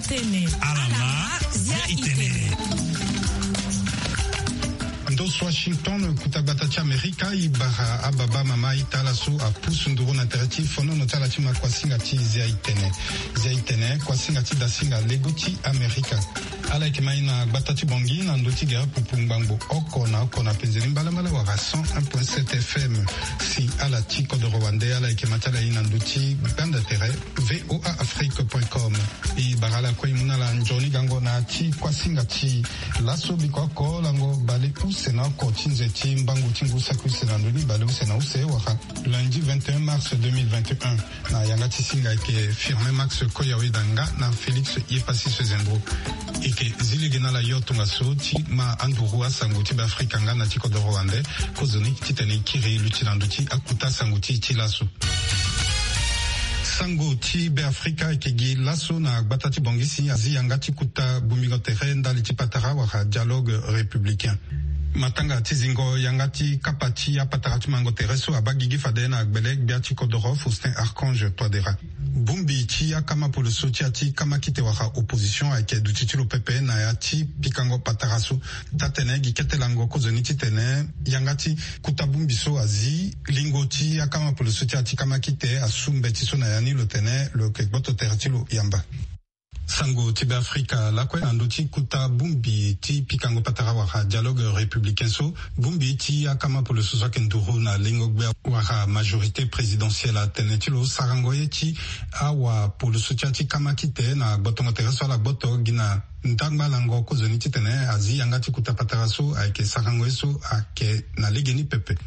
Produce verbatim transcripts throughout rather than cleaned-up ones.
Tene. Alama, zia itene. Ndo so Washington, kuta gbata ti Amerika, i bara ababa mama ita ala so apusu nduru na tere ti fonono ti ala ti ma kuasinga ti zia itene. Zia itene, kuasinga ti dasinga lego ti Amerika. Ala yeke ma i na gbata ti Bangui na ndö ti gere pupu ngbangbo oko na oko na penzeni mbalambala wala cent un point sept F M. Si ala ti kodoro wande, ala yeke ma ti ala i na ndö ti gbanda tere V O A Afrique point com. I bara ala kue i mu na ala nzoni gango na ya ti kuasinga ti laso biko oko lango bale use na oko ti nze ti mbangu ti ngu saki use na ndoni bale use na use wala lundi vingt et un mars deux mille vingt et un. Na yanga ti singa ayeke Firmin Max Koyawe Danga na Félix Yepassis Zendro. E yeke zi lege na ala yo tongaso ti ma anduru asango ti Beafrika nga na ti kodoro wande. Kozoni titene e kiri luti na ndö ti akuta asango ti e ti laso. Sango ti Beafrika ayeke gi laso na gbata ti Bangui si azi yanga ti kuta bongbingo tere ndali ti patara wala dialogue républicain. Matanga ti zingo yanga ti kapa ti apatara ti mango tere so abaa gigi fade na gbele gbia ti kodoro Faustin Archange Touadéra. Bongbi ti akama poloso ti ya ti kamakite wala opposition ayeke duti ti lo pepe na ya ti pikango patara so. Taa-tene gi kete lango kozoni titene yanga ti kuta bongbi so azi lingo ti akama poloso ti ya ti kamakite asu mbeti so na ya ni lo tene lo yeke gboto tere ti lo yamba. Sango ti Beafrika lakue na ndö ti kuta bongbi ti pikango patara wala dialogue républicain so, bongbi ti akama poloso so ayeke nduru na lengo gbia wala majorité présidentielle atene ti lo sarango ye ti awa poloso ti ya ti kamakite na gbotongo tere so ala gboto gi na ndangba lango kozoni titene azi yanga ti kuta patara so ayeke sarango ye so ayeke na legeni pepe.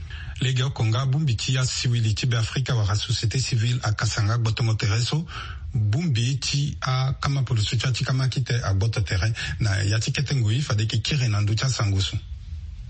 Legeoko nga bongbi ti asiwili ti Beafrika wala société civile akasa nga gbotongo tere so bongbi ti akama poloso ti ya ti kamakite agboto tere na ya ti kete ngoi fade e yeke kiri na ndö ti asango so.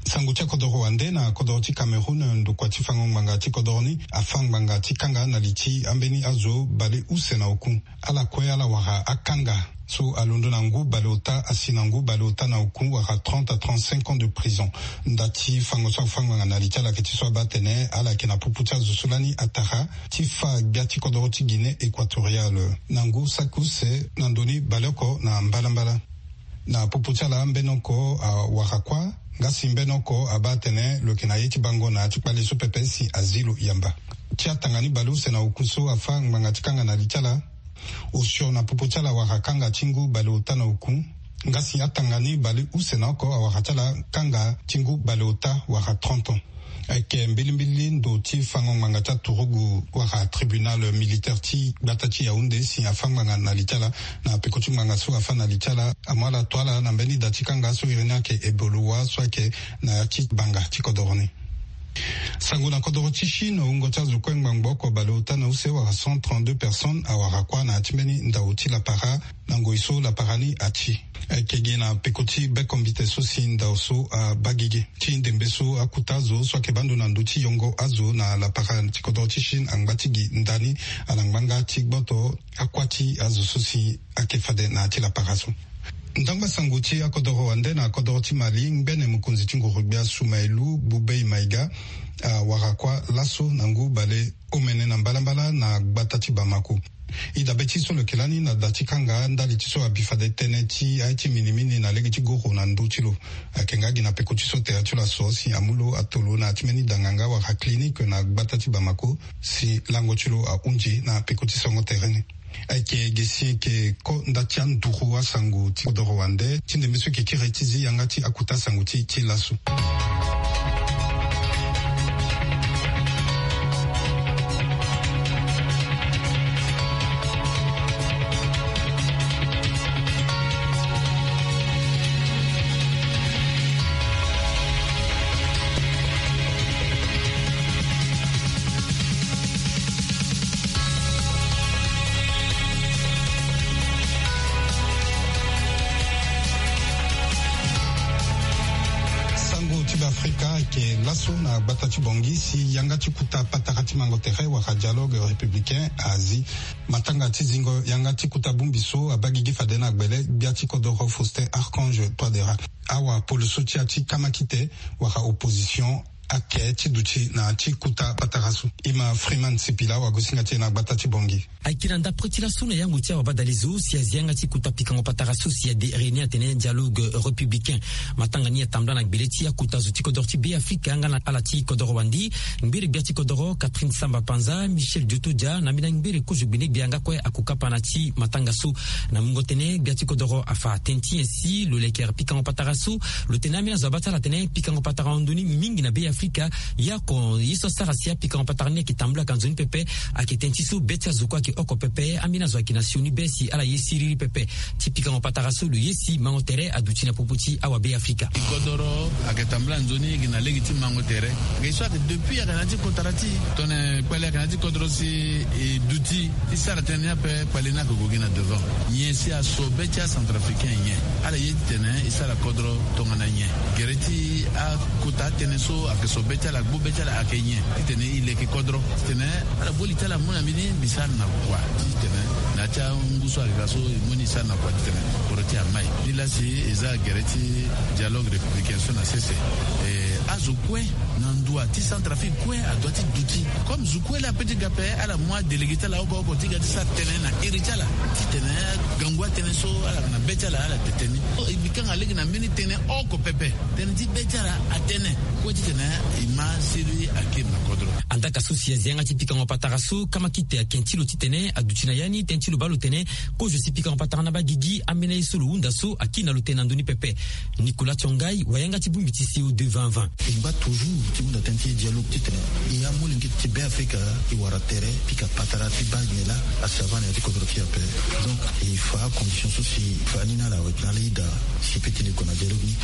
Sango ti akodoro wande na kodoro ti Cameroun, ndokua ti fango ngbanga ti kodoro ni afa ngbanga ti kanga na li ti ambeni azo bale use na oku. Ala kue ala wara akanga so alondo na ngu baleota asi na ngu baleota na oku wara trente à trente-cinq ans de prison. Nda ti fango so afa ngbanga na li ti ala ayeke ti so abaa atene ala yeke na popo ti azo so lani atara ti fa gbia ti kodoro ti Guinée équatoriale na ngu saki use na ndoni baleoko na mbalambala. Na popo ti ala mbeni oko awara kuâ, nga si mbeni oko abaa atene lo yeke na ye ti bango na ya ti kpale so pepe si azi lo yamba. Ti atanga ni baleuse na oku so afa ngbanga ti kanga na li ti ala. Osio na popo ti ala awara kanga ti ngu baleota na oku. Nga si atanga ni baleuse na oko awara ti ala kanga ti ngu baleota wara trente ans. Ayeke mbilimbili ndo ti fango ngbanga ti aturugu wala tribunal militaire ti gbata ti Yaoundé si afa ngbanga na li ti ala. Na peko ti ngbanga so afa na li ti ala amu ala to ala na mbeni da ti kanga so iri ni ayeke ebolowa so ayeke na ya ti banga ti kodoro ni. Sango na kodoro ti Chine, wungo ti azo kue ngbangbo oko baleota na use wala cent trente-deux personnes awara kuâ na ya ti mbeni ndao ti lapara na ngoi so lapara ni ati. Ayeke gi na peko ti bekombite so si ndao so abaa gigi ti ndembe so akuta azo so ayeke baa ndo na ndö ti yongo azo na lapara ti kodoro ti Chine angba ti gi ndani ala ngbanga ti gboto akuâ ti azo so si ayeke fade na ya ti lapara so. Ndangba sango ti akodoro wande na kodoro ti Mali, ngbene mokonzi ti nguru-gbia Soumaïlou Boubèye Maïga awara kuâ laso na ngu bale omene na mbalambala na gbata ti Bamako. E dabe ti so lo yeke lani na da ti kanga ndali ti so abi fade tënë ti aye ti minimini na lege ti goro na ndö ti lo. Ayeke nga gi na peko ti so tere ti lo aso si amu lo ato lo na ya ti mbeni danga nga wala clinique na gbata ti Bamako si lango ti lo ahunzi na peko ti songo tere ni. Ayeke gi si e yeke ko nda ti anduru asango ti kodoro wande ti ndembe so e yeke kiri ti zi yanga ti akuta asango ti e ti laso. Sango ti Beafrika ayeke laso na gbata ti Bangui si yanga ti kuta patara ti mango tere wala dialogue républicain azi. Matanga ti zingo yanga ti kuta bongbi so abaa gigi fade na gbele gbia ti kodoro Faustin Archange Touadéra. Awa poloso ti ya ti kamakite wala opposition ake ti duti na ti kota patara so. E ma Freeman Sipila, wagosinga ti e na gbata ti Bangui. Ayeke na ndapre ti laso na yango ti awabadalezo si azi yanga ti kota pikango patara so si ade réunion atene dialogue républicain. Matanga ni atambula na gbele ti akota zo ti kodoro ti Beafrika nga na ala ti kodoro wande, ngbere gbia ti kodoro Catherine Samba Panza, Michel Diotodia, na mbeni ngbere kozo gbene gbia nga kue akokapa na ti matanga so. Na mungo tene gbia ti kodoro afa tene ti nyen si lo lekere pikango patara so. Lo tene ambeni azo abaa ti ala atene pikango patara ahon ndoni mingi na Beafrika. Ya oko ye so asara si apikango patara ni ayeke tambula ka nzoni pepe. Ayeke tene ti so be ti azo kue ayeke oko pepe, ambeni azo ayeke na sioni be si ala ye siriri pepe. Ti pikango patara so lo ye si mango tere aduti na popo ti awabeafrika. Kodoro ayeke tambula nzoni gi na lege ti mango tere. Ge so ayeke depuis ayeke na ya ti kotara ti tongana kpale ayeke na ya ti kodoro si e duti ti sara tënë ni ape, kpale ni ayeke gue gi na devant. Nyen si aso be ti acentrafricain nyen? Ala ye titene e sara kodro tongana nyen? Gere ti akota atënë so ayeke so be ti ala, gbu be ti ala ayeke nyen? Titene e leke kodro titene ala boli ti ala mu na mbeni mbi sara na kua titene na ya ti angu so ayeke ga so e mu ni e sara na kua titene kodro ti e amai. Nilaa si e za gere ti dialogue républicain so na sese. E, azo kue na ndua ti Centrafrique kue adoit ti duti. Comme zo kue laa ape ti ga ape, ala mu adélégué ti ala oko oko ti ga ti sara tënë na iri ti ala titene agangu atënë so ala yeke na be ti ala, ala tene ni. So e bikanga lege na mbeni tënë oko pepe, tënë ti be ti ala atene kue titene e ma siriri akiri na kodro. Andaka so si azi yanga ti pikango patara so kamakite aken ti lo titene aduti na ya ni tënë ti lo baa lo tene kozo si pikango patara ni abaa gigi, ambeni aye so lo hunda so akiri na lo tene na ndö ni pepe. Nicolas Tiongai, wayanga ti bongbi ti C O deux vingt vingt. E ngba toujours ti hunda tënë ti dialogue titene e amolenge ti Beafrika e wara tere pika patara ti baa nyen laa asi avaa na ya ti kodro ti e ape. Donc e fa acondition so si e fa ni na ala weti na ala ida si e peut ti leke gue na dialogue ni.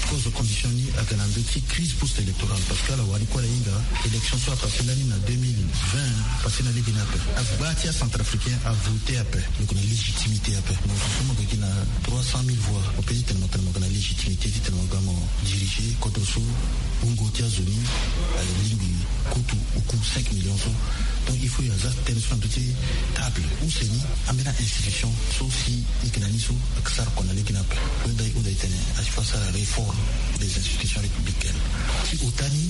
Kozo condition ni ayeke na ndö ti crise post électorale parce que ala wani kue ala hinga élection so apassé lani na deux mille vingt, passé na lege ni ape. Agba ti acentrafricain avoté ape, lo yeke na légitimité ape. Mo so mo yeke gi na trois cent mille voix, mo peut ti tene mo tene mo yeke na légitimité ti tene mo ga mo diriger kodro so wungo ti azo ni alingbi kutu oku cinq millions so. Donc il faut e aza tënë so na ndö ti table use ni ambeni a-institution so si e yeke na ni so ayeke sara kua na lege ni ape. Lo nda e hunda e tene asi fo asara réforme des institutions républicaines. Ti ota ni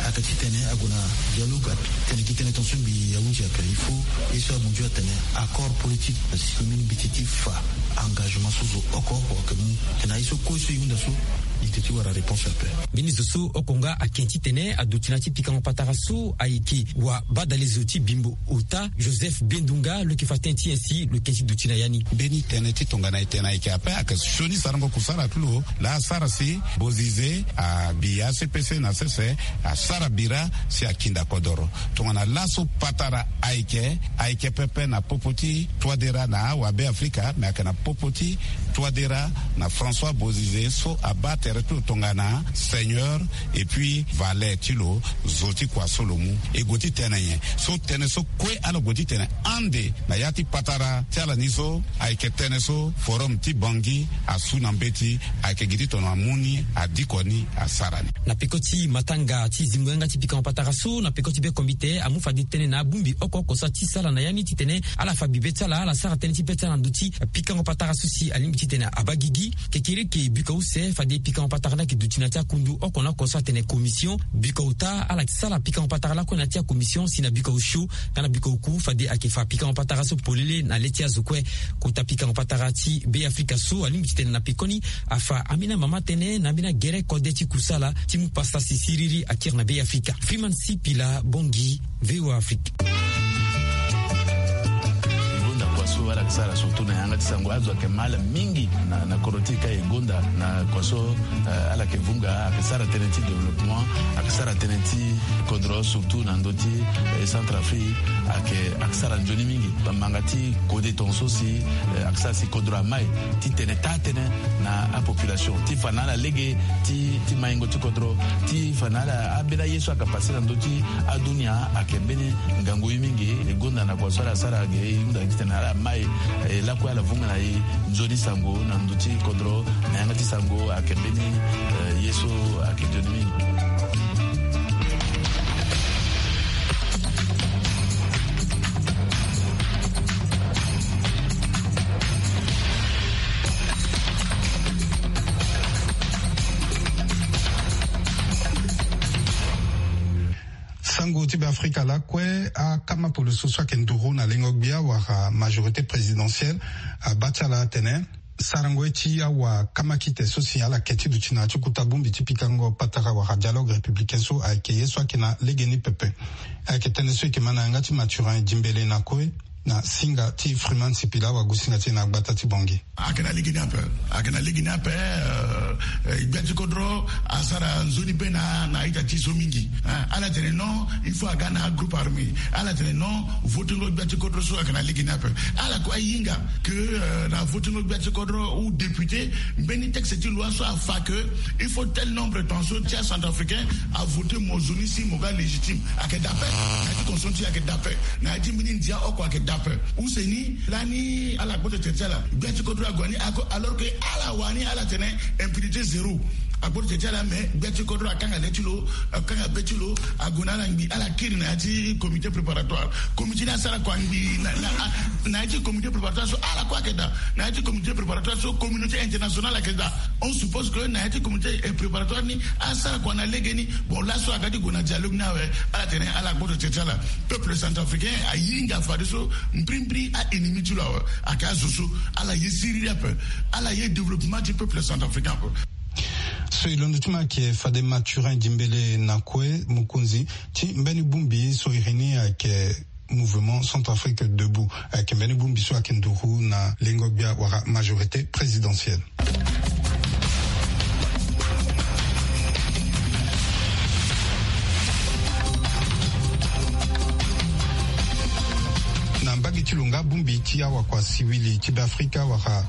ayeke titene ague na dialogue ape. Tene gi tënë tongaso mbi ahunzi ape, il faut ye so amunzu atene accord politique. Asi mbeni mbeti ti fa engagement so zo oko oko ayeke mu. Tena ye so kue so e hunda so e yeke ti wara réponse ape. Mbeni zo so oko nga aken titene aduti na ya ti pikango patara so ayeke wabadalezo ti bimbo ota Joseph Bendunga, lo yeke fa tënë ti nyen si lo yeke ti duti na ya ni. Mbeni tënë ti tongana e tene ayeke ape, ayeke sioni sarango kusala ti lo laa asara si Bozize abi a C P C na sese, asara bira si akinda kodoro. Tongana laso patara ayeke, ayeke pepe na popo ti Touadéra na awabeafrika, me ayeke na popo ti Touadéra na François Bozize so abaa tere ti lo tongana seigneur et puis valet ti lo, zo ti kua so lo mu. E gue ti tene nyen? So tënë so kue ala gue ti tene ande na ya ti patara ti ala ni so ayeke tënë so Forum ti Bangui asu na mbeti, ayeke gi ti tongana amu ni, adiko ni, asara ni. Na peko ti matanga ti zingo yanga ti pikango patara so na peko ti be komite amu fade tënë na abongbi oko oko so ati sala na ya ni titene ala fa bibe ti ala, ala sara tënë ti be ti ala na ndö ti pikango patara so si alingbi titene abaa gigi. Kekereke bika use fade pikango patara ni ayeke duti na ya ti akundu oko na oko so atene commission. Bika ota ala yeke sara pikango patara lakue na ya ti acommission si na bika osio nga na bika oku fade ayeke fa pikango patara so polele na le ti azo kue. Kota pikango patara ti Beafrika so alingbi titene na pekoni afa ambeni amama tënë na ambeni agere kode ti kusala ti mu pasa si siriri akiri na Beafrika. Freeman Sipila, Bangui, V O A Afrique. E gonda kua so ala yeke sara surtout na yanga ti sango, azo ayeke mal mingi na, na kodro ti e ka e gonda na kua so, eh, ala yeke vunga, ayeke sara tënë ti développement, ayeke sara tënë ti kodro surtout na ndö ti, eh, Centrafrique, ayeke, ayeke sara nzoni mingi. Bamanga ti kode tongaso si, eh, ayeke sara si kodro amai titene taa tënë na apopulation ti fa na ala lege ti, ti maingo ti kodro, ti fa na ala ambeni aye so ayeke pase na ndö ti adunia ayeke mbeni ngangu ye mingi. E gonda na kua so ala sara ge, e hunda titene ala mai, eh, lakue ala vunga na e nzoni sango na ndö ti kodro, na yanga ti sango ayeke mbeni, eh, ye so ayeke nzoni mingi. Lango ti be afrika lakue, akama polo so so ayeke nduru na lengo gbia wala majorité présidentielle, abaa ti ala atene sarango ye ti awa kamakite so si ala ke ti duti na ya ti kuta bongbi ti pikango patara wala dialogue républicain so ayeke ye so ayeke na legeni pepe. Ayeke tënë so e yeke ma na yanga ti Mathurin Dimbele na kue, na singa ti Freeman Sipila, awagosinga ti e na gbata ti Bangui. Ayeke na legeni ape. Ayeke na legeni ape. Gbia ti kodro asara nzoni be na na ita ti so mingi. Ala tene non, il faut aga na agroupe armé. Ala tene non, votingo gbia ti kodro so ayeke na legeni ape. Ala kue ahinga ke na votingo gbia ti kodro ou député, mbeni texte ti loi so afa ke il faut tel nombre ton so ti acentrafricain avote mo nzoni si mo ga légitime. Ayeke dape na ya ti constitution ti e, ayeke dape na ya ti mbeni ndia oko, ayeke dape. Use ni lani ala gboto tere ti ala, gbia ti kodro ague ni ako, alors que ala wani ala tene impunité zéro. Agboto tere ti ala, mais gbia ti kodro akanga le ti lo, akanga be ti lo, ague na ala ngbi, ala kiri na ya ti comité préparatoire. Comité ni asara kua ngbi na ya ti comité préparatoire so ala kue ayeke daa. Na ya ti comité préparatoire so communauté internationale ayeke daa. On suppose que na ya ti comité préparatoire ni asara kua na legeni. Bon, laso aga ti gue na dialogue ni awe. Ala tene ala gboto tere ti ala. Peuple centrafricain ahinga fadeso mbrimbri a-ennemi ti lo awe. Ayeke azo so ala ye siriri ape. Ala ye développement ti peuple centrafricain ape. So e londo ti ma ayeke fade Mathurin Dimbele na kue, mokonzi ti mbeni bongbi so iri ni ayeke Mouvement Centrafrique Debout, ayeke mbeni bongbi so ayeke nduru na lengo gbia wala majorité présidentielle. Na mbage ti lo nga, bongbi ti awakua siwili ti be afrika wala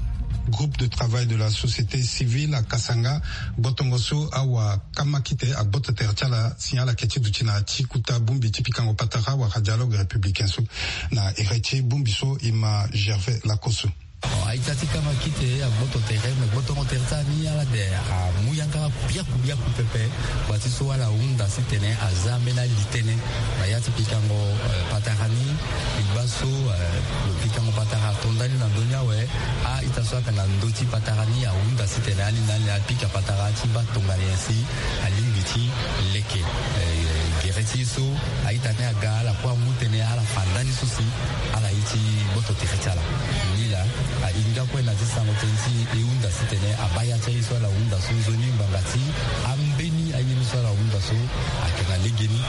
groupe de travail de la société civile akasa nga gbotongo so awa kamakite agboto tere ti ala si ala ke ti duti na ya ti kuta bongbi ti pikango patara wala dialogue républicain so. Na ere ti bongbi so e ma Gervais Lakosso. Bon, a-ita ti kamakite agboto tere, me gbotongo tere ti ala ni ala de amu yanga biaku biaku pepe. Gbati so ala hunda si tene aza ambeni ali tënë na ya ti pikango patara ni. Ligba so lo pikango patara ato ndani na ndö ni awe. A-ita so ayeke na ndö ti patara ni ahunda si tene ali na ali apika patara ti baa tongana nyen si alingbi ti leke gere ti ye so. A-ita ni aga ala kue amu tënë ala fa ndani so si ala ye ti gboto tere ti ala. Ni laa ahinga kue na ya ti sango tënë ti e hunda si tene abaa ya ti aye so ala hunda so nzoni ngbanga ti ambeni aye ni so ala hunda so ayeke na legeni.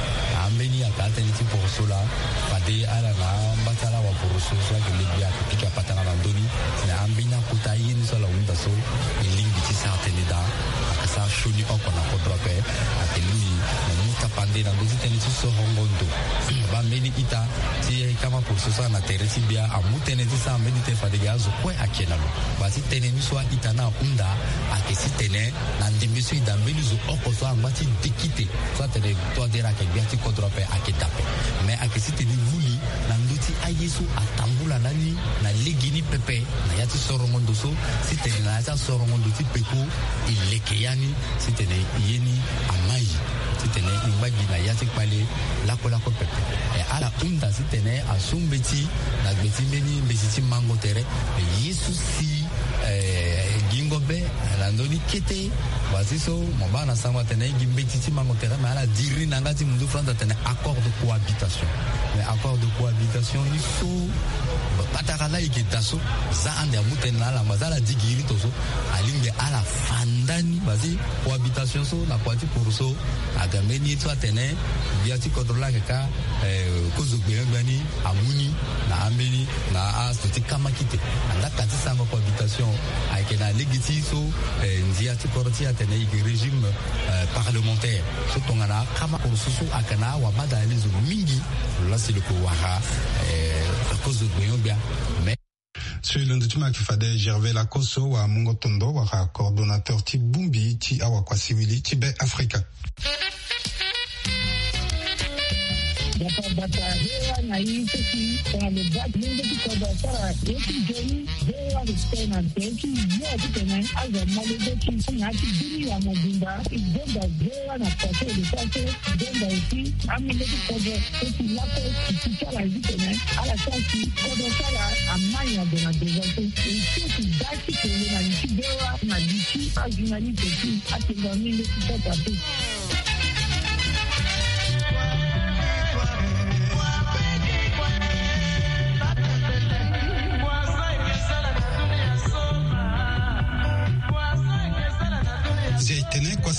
Ambeni ayeke atënë ti poroso laa. Fade ala na amba ti ala waporoso so ayeke legbi ayeke pika patara na ndö ni. Na ambeni akota aye ni so ala hunda so e lingbi ti sara tënë daa. Ayeke sara sioni oko na kodro ape. Ayeke lingbi mo mu tapande na ndö ti tënë ti sorongo ndo. Baa mbeni ita ti kama poroso so ala na tere ti gbia amu tënë ti sara mbeni tënë fade ge azo kue ayeke na lo. Baa ti tënë ni so a-ita ni ahunda ayeke si tene na ndembe so e daa mbeni zo oko so angba ti dekite so atene toadera ayeke gbia ti kodro ape ayeke daa ape. Me ayeke si tene e vuli na ndö ti aye so atambula lani na legeni pepe na ya ti sorongo ndo so, si tene na ya ti asorongo ndo ti peko e leke ya ni, si tene ye ni amai, si tene e ngba gi na ya ti kpale lakue lakue pepe. E ala hunda si tene asu mbeti na gbe ti mbeni mbeti ti mango tere. Ye so si gingo be na ndö ni kete. Baa ti so mo baa na sango atene gi mbeti ti mango tere, me ala diri ni na yanga ti mundu France atene accord de cohabitation. Mais accord de cohabitation ni so patara laa e yeke daa so, za ande amu tënë na ala, ma za ala digi iri to so, alingbi ala fa ndani. Baa ti cohabitation so na kua ti poroso aga mbeni ye so atene gbia ti kodro laa ayeke ka kozo gbenyo-gbia ni amu ni na ambeni na azo ti kamakite. Angaka ti sango cohabitation ayeke na lege ti so ndia ti kodro ti e atene e yeke régime parlementaire so tongana akama poroso so ayeke na awabadalezo mingi. Lo laa si lo yeke wara kozo gbenyo-gbia. Mais so e londo ti ma ayeke fade Gervais Lakosso, wamungo tondo wala coordonnateur ti bongbi ti awakua siwili ti Be Afrika. Bata bata, V O A na i seki tongana lo baa ti lenge ti kodro asara ye ti nzoni. V O A respect na nzoni ti yo titene azo amolenge ti na ya ti bini ya mobimba. I zonza V O A na kua so e lo sara so. I zonza aussi amolenge ti kodro so si lakue ti ti ti ala titene ala sara si kodro ti ala amai ado na devant so. E so si da ti kele na li ti V O A na li ti ajournaliste ti atenda ni nde ti sota so.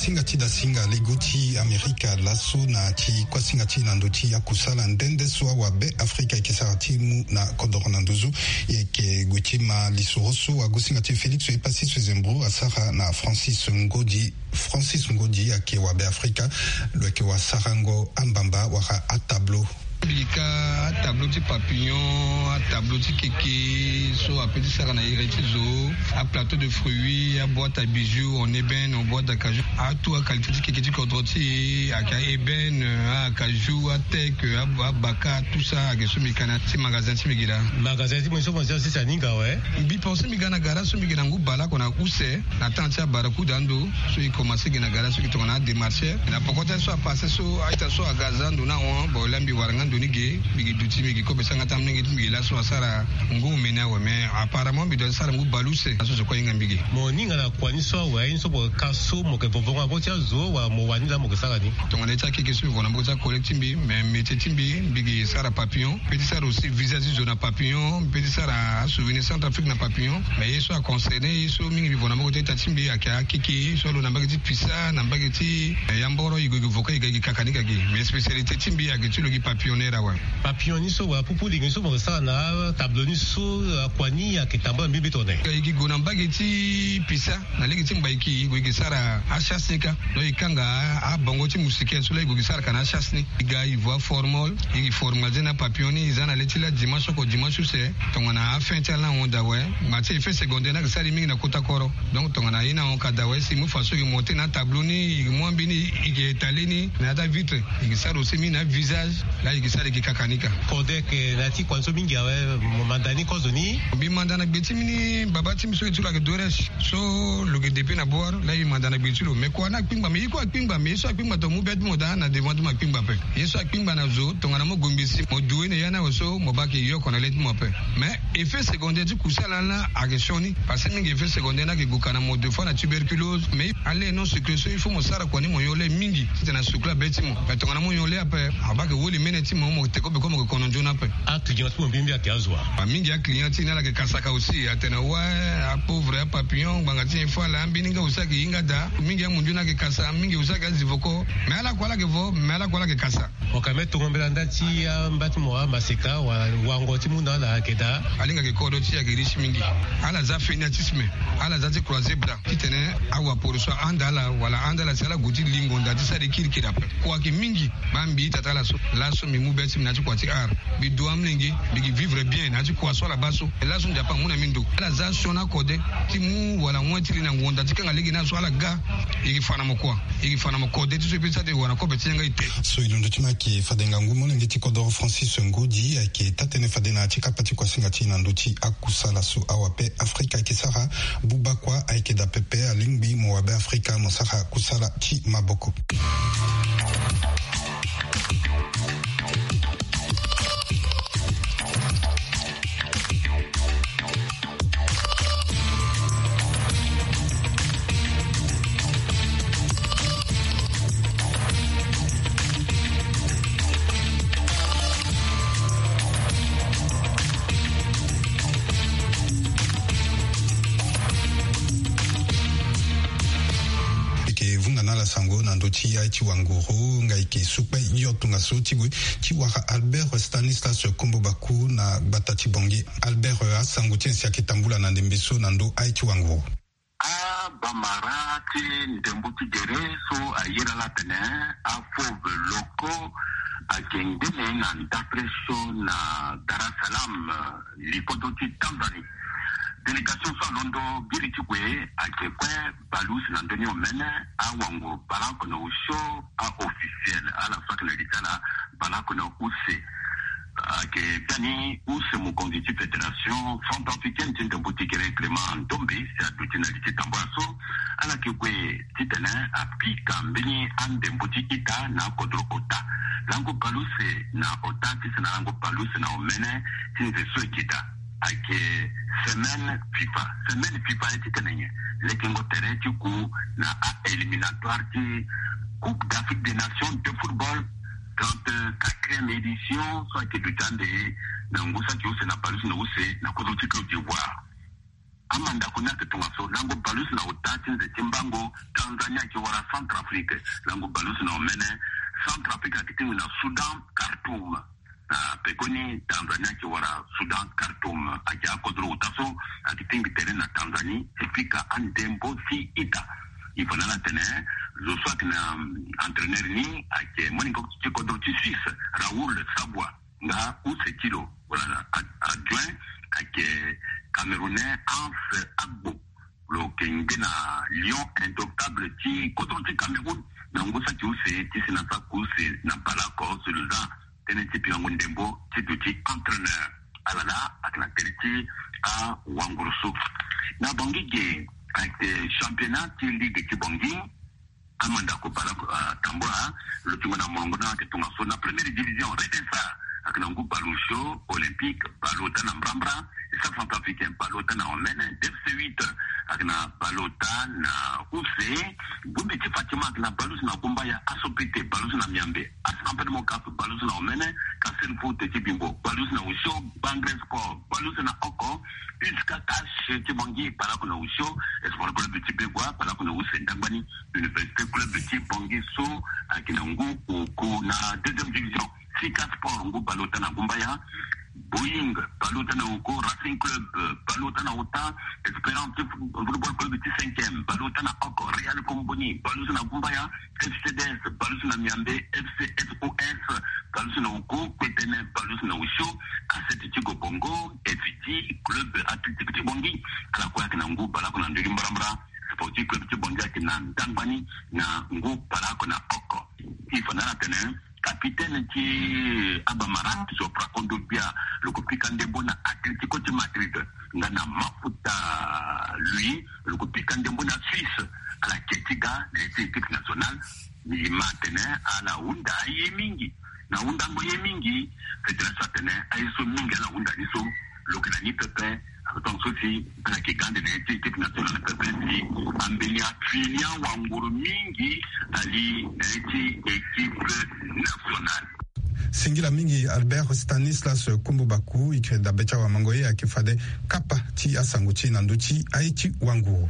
Singa ti da singa lego ti Amerika laso na ti kuasinga ti na ndo ti akusala nde nde so awabe Afrika eke sara ti mu na kodoro na nduzu. Eke gue ti ma lisoro so agusinga ti Félix Epassi Sezembro asara na Francis Ngodi. Francis Ngodi ake wabe Afrika lo eke wasarango ambamba wara atablo. Bika atablo ti papillon, atablo ti keke so ape ti sara na ere ti zo, aplateau de fruits, aboîte à bijoux en ébène, en boîte d'acajou. Atout aqualité ti keke ti kodro ti e ake a-ébène, acajou, ateke, abaka, tout ça ake so mbi kana ti magasin ti mbi gi laa. Magasin ti mo so mo zi asi si aninga awe. Mbi pense mbi ga na gara so mbi gi na ngu baleoko na use. Na temps ti abarakuda ando so e commencé gi na gara so e gi tongana adémarcheur na poko ti aye so apassé so a-ita so aga aza ndo ni ahon. Bon, laa mbi wara nga ndo ni ge, mbi gi duti, mbi gi kobe sanga ti amolenge ti mbi gi laso asara ngu omeni awe. Mais apparemment mbi doit ti sara ngu baleuse. Laso zo kue ahinga mbi ge. Mo ninga na kua ni so awe, aye ni so mo ka so mo yeke vovo nga na mboko ti azo wala mo wani laa mo yeke sara ni? Tongana ye ti akeke so mbi vo na mboko ti acollègue ti mbi, mais métier ti mbi, mbi gi sara papillon. Mbi pe ti sara aussi visage ti zo na papillon, mbi pe ti sara asouvenir Centrafrique na papillon. Mais ye so aconcerné ye so mingi mbi vo na mboko ti a-ita ti mbi ake akeke so alo na mbage ti pisa, na mbage ti, eh, yamboro, e gue e gue vo ka e ga e gi kaka ni ka gi. Mais spécialité ti mbi ake ti lo gi papillonneur awe. Papillon ni so wala pupu lingi ni so mo sara na tableau ni so, akua ni ake tambula mbi mbi tongana nyen? E gi gue na mbage ti pisa na lege ti mbaiki, e gue e gi sara achasse ni ka. Donc e kanga abongo ti moustiquaire so laa e gue e gi sara ka na achasse ni. E ga e vo aformol, e gi formaliser na papillon ni, e za na le ti laa dimanche oko dimanche use. Tongana afin ti ala ahon daa awe. Ma ti effet secondaire ni ayeke sara e mingi na kota koro. Donc tongana ye ni ahon ka daa awe, si e mu façon e gi monter na atableau ni, e gi mu ambeni, e gi étaler ni na ya ti avitre. E gi sara aussi mingi na avisage. Laa e gi sara e gi kaka ni ka. Kodek, eh, na ya ti kua ni so mingi awe, mo manda ni kozo ni? Mbi manda na gbe ti mbi ni, baba ti mbi so e ti lo ayeke Doresh. So lo yeke depuis na Bouar, laa e manda na gbe ti lo. Mais kua ni akpingba, mais ye kue akpingba, mais ye so akpingba tongana mu be ti mo daa na devant ti mo akpingba ape. Ye so akpingba na zo, tongana mo gue ngbe si mo due na ya ni awe so, mo baa ayeke yoko na le ti mo ape. Mais effet secondaire ti kusala ni laa ayeke sioni. Parce que mingi effet secondaire ni ayeke gue ka na mo, des fois na tuberculose. Mais a lait non sucré so il faut mo sara kua ni mo nyon lait mingi titene asukula be ti mo. Mais tongana mo nyon lait ape, abaa ayeke woli mene ti mo, mo yeke te kobe kue mo yeke kono nzoni ape. Aclient ti mo mbi mbi ayeke azo wa? Mingi aclient ti e ni ala yeke kasaka aussi, atene wa, apauvre, apapillon, ngbanga ti nyen fo ala, ambeni nga aussi ayeke hinga daa. Mingi amundu ni ayeke kasa, mingi aussi ayeke azi voko. Mais ala kue ala yeke vo, mais ala kue ala yeke kasa. Mo ka me tongo mbela nda ti amba ti mo amaseka wala wango ti mu na ala ayeke daa? Alingbi ayeke kodro ti e ayeke riche mingi. Ala za fainéantisme, ala za ti croiser bras titene awaporo so ahanda ala wala ahanda ala si ala gue ti lingo nda ti sara e kirikiri ape. Kua ayeke mingi. Baa mbi ita ti ala so, laso mbi mu be ti mbi na ya ti kua ti art. Mbi du amolenge, mbi gi vivre bien na ya ti kua so ala baa so. Laso Nzapa amu na mbi ndo. Ala za sioni akode ti mu wala wen ti li na ngonda ti kanga lege ni aso ala ga. E gi fa na mo kua. E gi fa na mo kode ti so e pe ti sara ti wara kobe ti yanga ete. So e londo ti mo ayeke fade ngangu molenge ti kodoro Francis Ngodi ayeke taa-tënë fade na ya ti kapa ti kuasinga ti e na ndö ti akusala so awabe Afrika ayeke sara. Buba kua ayeke daa pepe, alingbi mo wabe Afrika mo sara kusala ti maboko. Eke vunga na ala sango na ndö ti aye ti wanguru nga eke sukpe yo tongaso ti gue ti wara Albert Stanislas Kombo Baku na gbata ti Bangui. Albert, asango ti e si ayeke tambula na ndembe so na ndö aye ti wanguru. Abamara ti ndembo ti gere so ayere ala atene afauve locaux ayeke ngbene na ndapre so na Dar es Salaam, likodo ti Tanzanie. Délégation so alondo biri ti gue ayeke kue baleuse na ndö ni omene, awanguru baleoko na osio, a-officiel, ala so ayeke na li ti ala baleoko na use. Ayeke biani use mokonzi ti fédération centrafricaine ti ndembo ti gere Clément Ndombe si aduti na li ti tambula so. Ala yeke gue titene apika mbeni andembo ti ita na akodro ota. Lango baleuse na ota ti sene lango baleuse na omene ti nze so eke daa ayeke semaine FIFA. Semaine FIFA aye titene nyen? Lekengo tere ti ku na a-éliminatoire ti Coupe d'Afrique des Nations de football, trente-quatrième édition, so ayeke duti ande na ngu saki use na baleuse na use na kodro ti Côte d'Ivoire. Amandako ni ayeke tongaso lango baleuse na ota ti nze ti mbango. Tanzanie ayeke wara Centrafrique lango baleuse na omene. Centrafrique ayeke tingbi na Soudan, Khartoum. Na pekoni Tanzanie ayeke wara Soudan, Khartoum. Ayeke akodro ota so ayeke tingbi tere na Tanzanie ti pika andembo ti ita. I fa na ala atene zo so ayeke na entraîneur ni ayeke moningo ti kodro ti Suisse, Raoul Sabwa. Nga use ti lo wala adjoint ayeke Camerounais Hans Agbo. Lo yeke nge na lion indomptable ti kodro ti Cameroun. Na ngu saki use ti si na saki use na baleoko so lo za tënë ti pikango ndembo ti duti entraîneur. Ala laa ayeke na tere ti awanguru so. Na Bangui ge ayeke championnat ti ligue ti Bangui. Amandako baleoko atambula lo ti ngu na molongo ni ayeke tongaso na première division. Redesa ayeke na ngu baleosio, Olympique baleota na mbrambra, Centrafricain baleota na omene, D F C huit ayeke na baleota na use. Gombe ti Fatima ayeke na baleuse na Gumbaya, Asopete baleuse na Miambe, Asampene Mokaf baleuse na omene, Kasen Foot ti Bimbo baleuse na osio, Bangre Sport baleuse na oko, U S K Cash ti Bangui baleoko na osio, Espoir Club ti Begua baleoko na use, Ndangbani Université Club ti Bangui so ayeke na ngu oko na deuxième division. Sika Sport ngu baleota na Gumbaya, Boeing baleota na oko, Racing Club baleota na ota, Espérance Football Club ti cinquième baleota na oko, Real Comboni baleuse na Gumbaya, F C D S baleuse na Miambe, F C S O S baleuse na oko, Petene baleuse na osio, Asset ti Gobongo, F D Club Athlétique ti Bangui ala kue ayeke na ngu baleoko na ndö ti mbrambra. Sportif Club ti Bangui ayeke na Ndangbani na ngu baleoko na oko. I fa na ala atene capitaine ti Abamara, Geoffroy Kondogbia, lo ko pika ndembo na Atlético ti Madrid nga na mafuta lui, lo ko pika ndembo na Suisse. Ala keti ga na ye ti équipe nationale. Mbi ma atene ala hunda aye mingi. Na hundango ye mingi, fédération atene aye so mingi ala hunda ni so lo yeke na ni pepe. Atonga so si ala yeke ga ande na ye ti équipe nationale pepe si ambeni afini awanguru mingi ali na ye ti équipe nationale. Singila mingi Albert Stanislas Kumbu Baku, i kiri dabe ti awamango ye ayeke fade kapa ti asango ti e na ndö ti aye ti wanguru.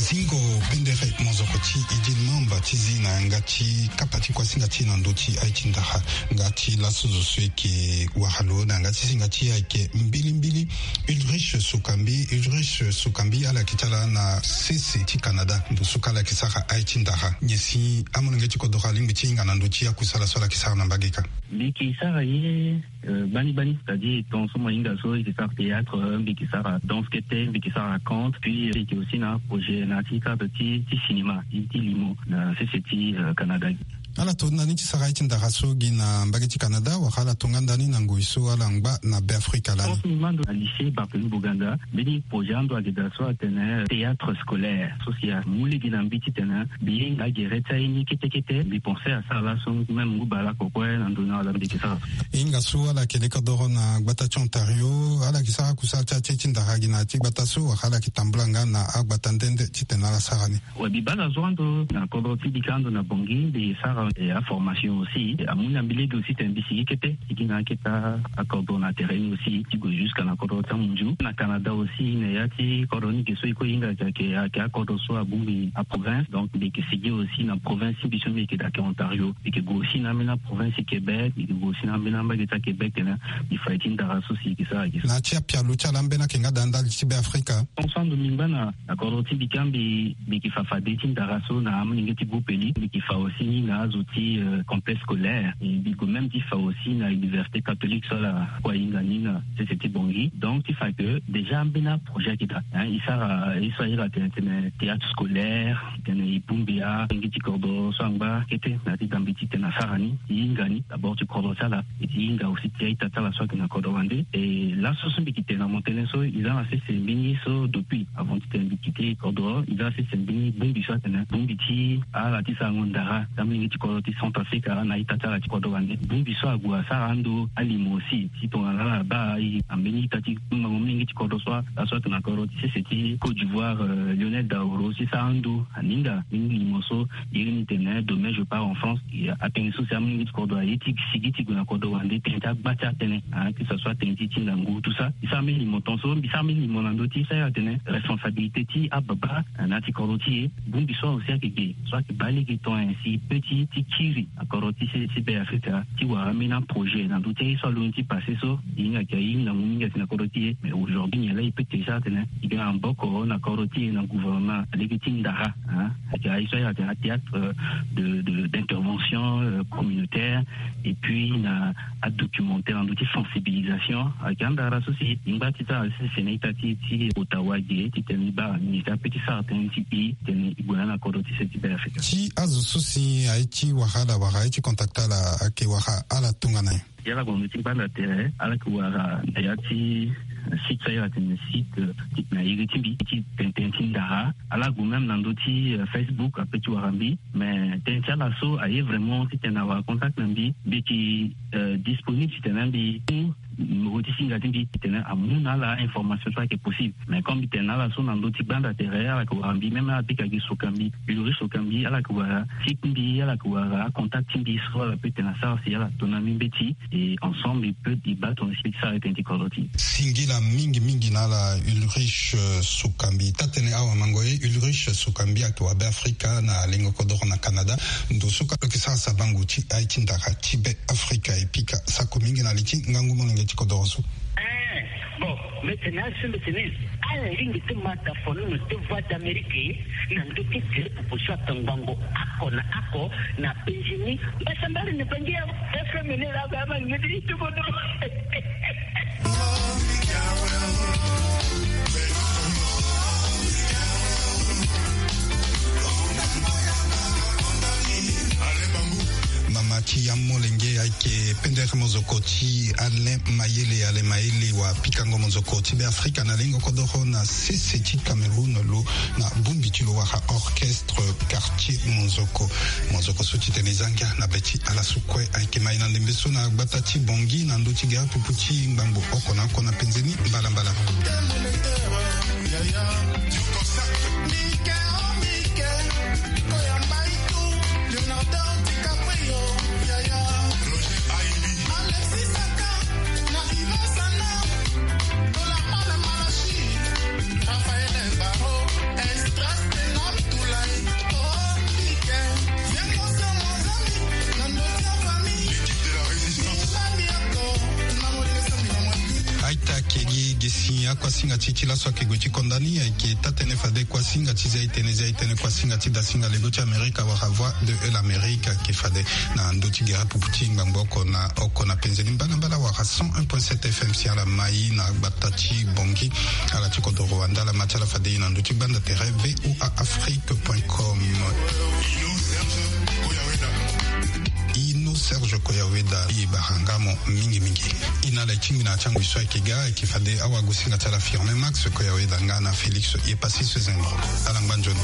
Zingo pendere mozoko ti Idil Mamba ti zi na yanga ti kapa ti kuasinga ti e na ndö ti aye ti ndara. Nga ti laso zo so e yeke wara lo na yanga ti singa ti e ayeke mbilimbili Ulrich Sukambi. Ulrich Sukambi ala yeke ti ala na sese ti Canada, ndo so kue ala yeke sara aye ti ndara. Nyen si amolenge ti kodro alingbi ti hinga na ndö ti akusala so ala yeke sara na mbage ka? Mbi yeke sara ye, euh, gbani gbani, c'est-à-dire ton so mo hinga so e yeke sara théâtre, euh, mbi yeke sara danse kete, mbi yeke sara conte, puis, euh, mbi yeke aussi na projet na ti cadre ti, ti cinéma, ti, ti limo na sese ti, euh, Canada. Ala to ndani ti sara aye ti ndara so gi na mbage ti Canada, wala ala to nga ndani na ngoi so ala ngba na Beafrika lani? Pense mbi ma ndo na lycée Barthélemy Boganda, mbeni projet ando ayeke daa so atene théâtre scolaire. So si amu lege na mbi titene mbi hinga gere ti aye ni kete kete. Mbi pense asara laso même ngu baleoko kue na ndo ni ala mbi yeke sara. Hinga so ala yeke lekodoro na gbata ti Ontario, ala yeke sara kusala ti aye ti ndara gi na ya ti gbata so, wala ala yeke tambula nga na agbata nde nde titene ala sara ni? We, mbi baa na zo ando na kodro ti bika ando na Bangui, mbi sara Et aformation aussi amu na mbi lege aussi tene mbi sigi kete, sigi na akete akodro na terrain ni aussi ti gue jusqu'à na kodro ti amunzu na Canada aussi. Na ya ti kodro ni ge so e kue e hinga ayeke ayeke akodro so abongbi aprovince. Donc mbi yeke sigi aussi na province ti mbi so mbi yeke daa ayeke Ontario. Mbi yeke gue aussi na ambeni aprovince ti Québec, mbi yeke gue aussi na ambeni ambage ti aQuébec tene mbi fa ye ti ndara so si e yeke sara ayeke so. Na ya ti apialo ti ala ambeni ayeke nga daa ndali ti Be Afrika. Ton so ando mbi ngba na na kodro ti mbi ka mbi mbi yeke fa fade ti ndara so na amolenge ti groupe eli. Mbi yeke fa aussi ni na azo ti complexe scolaire, e mbi gue même ti fa aussi na université catholique so ala kue ahinga ni na sese ti Bangui. Donc ti fa que déjà ambeni aprojet ayeke daa, hein, e sara e so ahiri atene tene théâtre scolaire, tene e bongbi alenge ti kodro so angba kete na ya ti dambe ti tene asara ni, e hinga ni d'abord ti kodro ti ala. E ti hinga aussi ti a-ita ti ala so ayeke na kodro wande. E laso so mbi yeke tene na mo tënë so e za na sese mbeni so depuis avant ti tene mbi kite kodro, e za na sese mbeni bongbi so atene bongbi ti ala ti sarango ndara ti amolenge ti kodro ti Centrafrique na a-ita ti ala ti kodro wande. Bongbi so ague asara ando alimo aussi ti tongana ala baa e na mbeni ita ti kpingbango molenge ti kodro so laso atene na kodro ti sese ti Côte d'Ivoire, euh, Lionel Daoro si sara ando aninga mbeni limo so. Iri ni tene demain je pars en France. Atënë so si amolenge ti kodro aye ti sigi ti gue na kodro wande tënë ti agba ti atënë, hein, que ça soit tënë ti ti ngangu tout ça. E sara mbeni limo ton so mbi sara mbeni limo na ndö ti e sara atene responsabilité ti ababa na ya ti kodro ti e. Bongbi so aussi ayeke ge so ayeke baa lege ton, ainsi peut ti ti kiri na kodro ti se ti Be Afrika ti wara ambeni aprojet na ndö ti aye so alondo ti passé so. E hinga ayeke aye ngangu mingi asi na kodro ti e. Mais aujourd'hui nyen laa e peut ti sara atene e ga na maboko na kodro ti e na gouvernement na lege ti ndara, hein. Ayeke aye so ayeke atene athéâtre, euh, de, de, d'intervention, euh, communautaire, et puis na adocumentaire na ndö ti sensibilisation. Ayeke andara so si e ngba ti sara sese na ita ti e ti Ottawa ge titene e baa nyen si ape ti sara tënë ti e titene e gue na ala na kodro ti se ti Be Afrika. Ti azo so si aye ti wara ala wala aye ti contacter ala ayeke wara ala tongana nyen? Ya ala gue na ndö ti gbanda tere, ala yeke wara na ya ti site so ayeke atene site, euh, na iri ti mbi ti tene tënë ti ndara. Ala gue même na ndö ti, euh, Facebook ape ti wara mbi. Mais tënë ti ala so aye vraiment titene awara contact na mbi, mbi yeke, euh, disponible titene mbi numéro ti singa ti mbi titene amu na ala information so ayeke possible. Mais comme mbi tene na ala so na ndö ti gbanda tere, ala yeke wara mbi, même ala bika gi Sokambi, Ulrich Sokambi, ala yeke wara site ti mbi, ala yeke wara acontact ti mbi so ala peut tene asara si ala to na mbi mbeti. Et ensemble e peut e baa tongana si e peut ti sara tënë ti kodro ti e. Singila mingi mingi na ala Ulrich, euh, Sokambi. Taa tënë awamango ye Ulrich Sokambi ayeke wara Be Afrika na lengo kodoro na Canada. Ndo so ka lo yeke sara sabango ti aye ti ndara ti Be Afrika e pika sako mingi na li ti ngangu molenge ti kodoro so. Eh, bon, mbi tene aye so mbi tene ala lingbi ti ma tafono na te Voix d'Amérique na ndö ti tene popo so ayeke ngbangbo oko na oko na penzi ni. Mbasambala ni bangi ya F M ni la ba ma ni di tu bodo. Mama ti ya molenge ayeke pendere mozoko ti Alain Mayele. Alain Mayele wa pikango mozoko ti Be Afrika na lengo kodoro na sese ti Cameroun lo na bongbi ti lo wara orchestre quartier mozoko. Mozoko so titene e za ngia na be ti ala so kue ayeke mai na ndembe so na gbata ti Bangui na ndö ti gere pupu ti ngbangbo oko na oko na penze ni mbalambala. Aita kegi gesi akuasinga ti ti laso ayeke gue ti konda ni ayeke taa tënë fade kuasinga ti zia e tënë zia e tënë kuasinga ti dasinga lego ti Amerika wala Voix de l'Amérique ayeke fade na ndö ti gere pupu ti ngbangbo oko na oko na penze ni mbalambala wala cent un point sept F M si ala mai na gbata ti Bangui. Ala ti kodoro wande ala ma ti ala fade e na ndö ti gbanda tere V O A Afrique point com. Ino Serge Koyaweda e bara nga mo mingi mingi. E na ala e tingbi na ya ti angui so ayeke ga ayeke fade awagosinga ti ala Firmin Max Koyaweda nga na Félix Yepassis Zengro. Ala ngba nzoni.